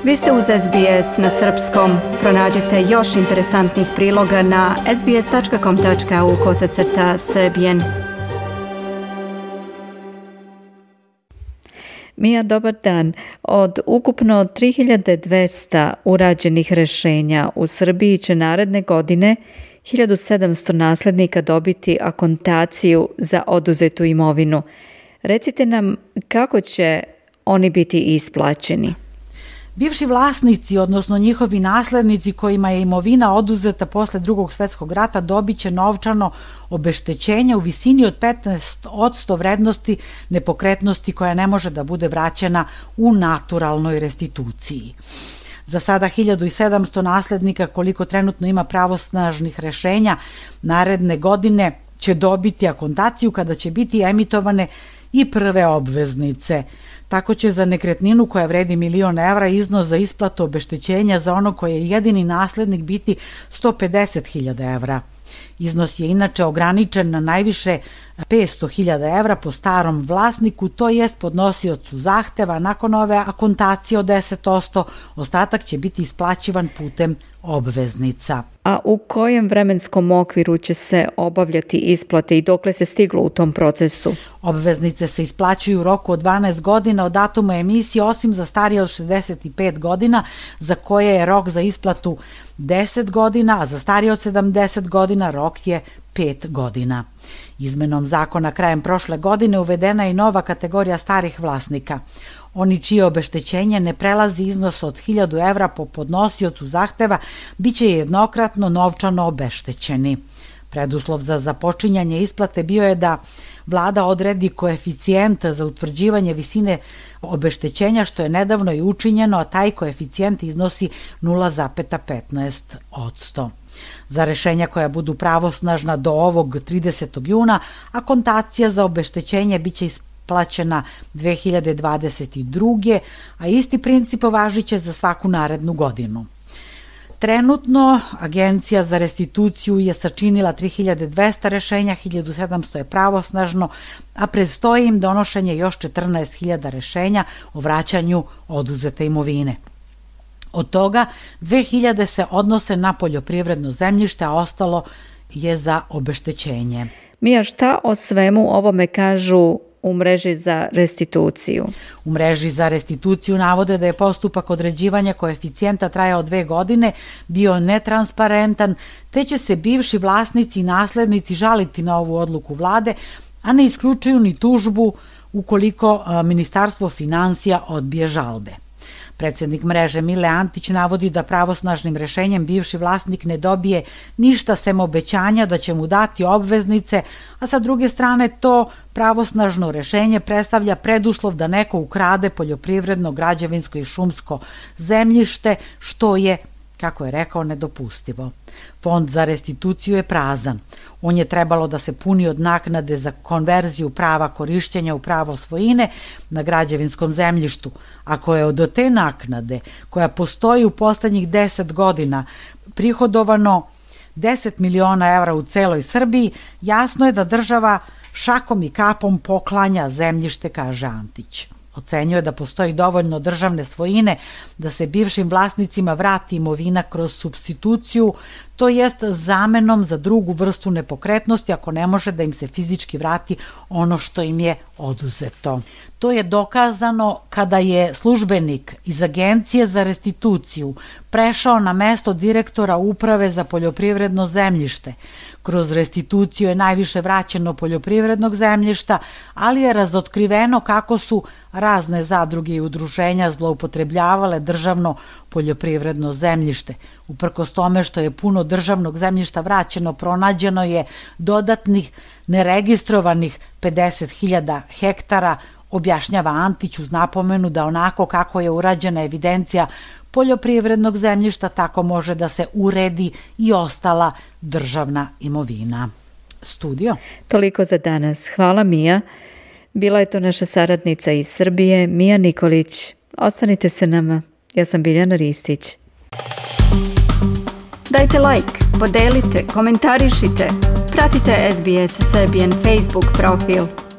Vi ste uz SBS na srpskom. Pronađite još interesantnih priloga na sbs.com.au/srbijen. Mija, dobar dan. Od ukupno 3200 urađenih rešenja u Srbiji će naredne godine 1700 naslednika dobiti akontaciju za oduzetu imovinu. Recite nam kako će oni biti isplaćeni. Bivši vlasnici, odnosno njihovi naslednici kojima je imovina oduzeta posle Drugog svetskog rata, dobit će novčano obeštećenje u visini od 15% vrednosti nepokretnosti koja ne može da bude vraćena u naturalnoj restituciji. Za sada 1700 naslednika, koliko trenutno ima pravosnažnih rešenja, naredne godine će dobiti akontaciju kada će biti emitovane i prve obveznice. Tako će za nekretninu koja vredi 1.000.000 evra iznos za isplatu obeštećenja za ono koje je jedini naslednik biti 150.000 evra. Iznos je inače ograničen na najviše 500.000 evra po starom vlasniku, to jest podnosiocu zahteva. Nakon ove akontacije od 10%, ostatak će biti isplaćivan putem obveznica. A u kojem vremenskom okviru će se obavljati isplate i dokle se stiglo u tom procesu? Obveznice se isplaćuju u roku od 12 godina od datuma emisije, osim za starije od 65 godina, za koje je rok za isplatu 10 godina, a za starije od 70 godina rok je 5 godina. Izmenom zakona krajem prošle godine uvedena je i nova kategorija starih vlasnika. Oni čije obeštećenje ne prelazi iznos od 1.000 evra po podnosiocu zahteva biće jednokratno novčano obeštećeni. Preduslov za započinjanje isplate bio je da vlada odredi koeficijent za utvrđivanje visine obeštećenja, što je nedavno i učinjeno, a taj koeficijent iznosi 0,15%. Za rešenja koja budu pravosnažna do ovog 30. juna, akontacija za obeštećenje biće isplaćena 2022. a isti princip važiće za svaku narednu godinu. Trenutno Agencija za restituciju je sačinila 3200 rešenja, 1700 je pravosnažno, a predstoji im donošenje još 14.000 rešenja o vraćanju oduzete imovine. Od toga 2000 se odnose na poljoprivredno zemljište, a ostalo je za obeštećenje. Mija, šta o svemu ovome kažu u mreži za restituciju? U mreži za restituciju navode da je postupak određivanja koeficijenta trajao 2 godine, bio netransparentan, te će se bivši vlasnici i naslednici žaliti na ovu odluku vlade, a ne isključuju ni tužbu ukoliko Ministarstvo finansija odbije žalbe. Predsednik mreže Mile Antić navodi da pravosnažnim rešenjem bivši vlasnik ne dobije ništa sem obećanja da će mu dati obveznice, a sa druge strane to pravosnažno rešenje predstavlja preduslov da neko ukrade poljoprivredno, građevinsko i šumsko zemljište, što je, kako je rekao, nedopustivo. Fond za restituciju je prazan. On je trebalo da se puni od naknade za konverziju prava korišćenja u pravo svojine na građevinskom zemljištu. Ako je od te naknade, koja postoji u poslednjih 10 godina, prihodovano 10 miliona evra u celoj Srbiji, jasno je da država šakom i kapom poklanja zemljište, kaže Antić. Ocenjuje da postoji dovoljno državne svojine da se bivšim vlasnicima vrati imovina kroz supstituciju, to jest zamenom za drugu vrstu nepokretnosti ako ne može da im se fizički vrati ono što im je oduzeto. To je dokazano kada je službenik iz Agencije za restituciju prešao na mesto direktora Uprave za poljoprivredno zemljište. Kroz restituciju je najviše vraćeno poljoprivrednog zemljišta, ali je razotkriveno kako su razne zadruge i udruženja zloupotrebljavale državno poljoprivredno zemljište. Uprkos tome što je puno državnog zemljišta vraćeno, pronađeno je dodatnih neregistrovanih 50.000 hektara, objašnjava Antić uz napomenu da onako kako je urađena evidencija poljoprivrednog zemljišta, tako može da se uredi i ostala državna imovina. Studio. Toliko za danas. Hvala, Mija. Bila je to naša saradnica iz Srbije, Mija Nikolić. Ostanite se nama. Ja sam Biljana Ristić. Dajte like, podelite, komentarišite. Pratite SBS Serbian Facebook profil.